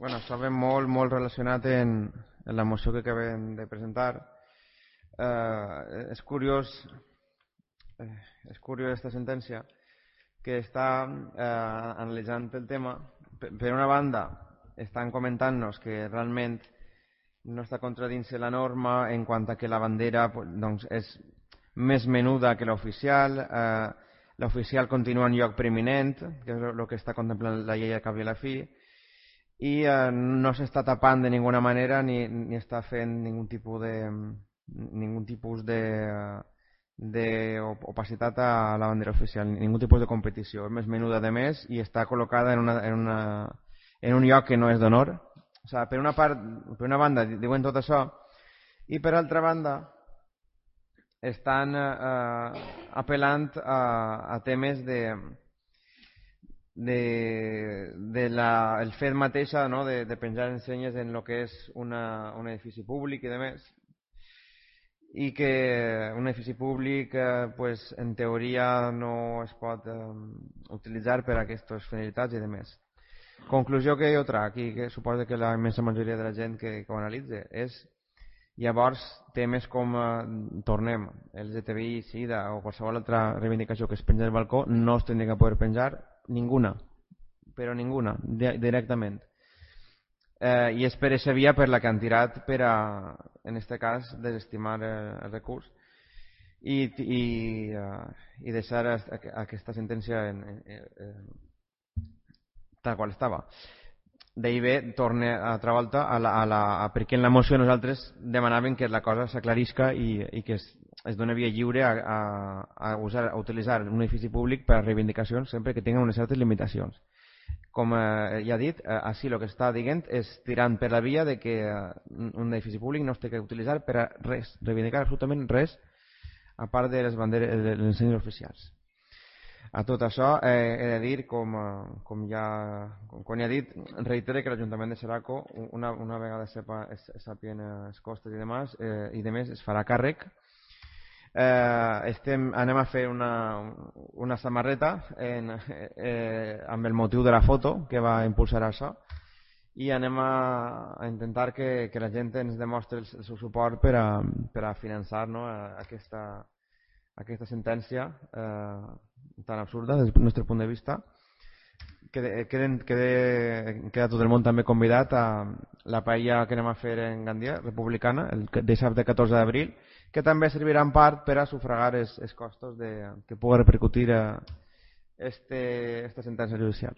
Bueno, això ve molt relacionat en la moció que acabem de presentar. És curiós aquesta sentència que està analitzant el tema. Per una banda, estan comentant-nos que realment no està contradint-se la norma en quant a que la bandera doncs, és més menuda que l'oficial. L'oficial continua en lloc preeminent, que és el que està contemplant la llei a cap i a la fi, i no s'està tapant de ninguna manera ni està fent ningun tipus d'opacitat a la bandera oficial, ningun tipus de competició. És més menuda de més i està col·locada en un lloc que no és d'honor. O sigui, per una banda diuen tot això, i per altra banda estan apel·lant a temes el fet mateix, no? de penjar ensenyes en el que és un edifici públic i demés, i que un edifici públic pues, en teoria no es pot utilitzar per a aquestes finalitats i demés. Conclusió que jo trac, i que suposo que la immensa majoria de la gent que ho analitza, és llavors temes com tornem, LGTBI, SIDA o qualsevol altra reivindicació que es penja del balcó no es tindria que poder penjar ninguna, però ninguna, directament. I és per aquesta via per la que han tirat per a, en aquest cas, desestimar el recurs i deixar aquesta sentència tal qual estava. D'ahir ve, torna altra volta perquè en la moció nosaltres demanàvem que la cosa s'aclarisca i que es dona via lliure a utilitzar un edifici públic per a reivindicacions sempre que tinguin unes certes limitacions. Com ja he dit, així el que està dient és tirant per la via de que un edifici públic no es té que utilitzar per a res, reivindicar absolutament res a part de les banderes, de les ensenyes oficials. A tot això he de dir, com ja he dit, reitere que l'Ajuntament de Xeraco, una vegada sàpien els costos i demés, es farà càrrec. Anem a fer una samarreta amb el motiu de la foto que va impulsar això, i anem a intentar que la gent ens demostri el seu suport per a finançar, no, aquesta sentència tan absurda des del nostre punt de vista. Queda tot el món també convidat a la paella que anem a fer en Gandia, republicana, el dissabte 14 d'abril, que també servirà en part per a sufragar els costos que pugui repercutir esta sentència judicial.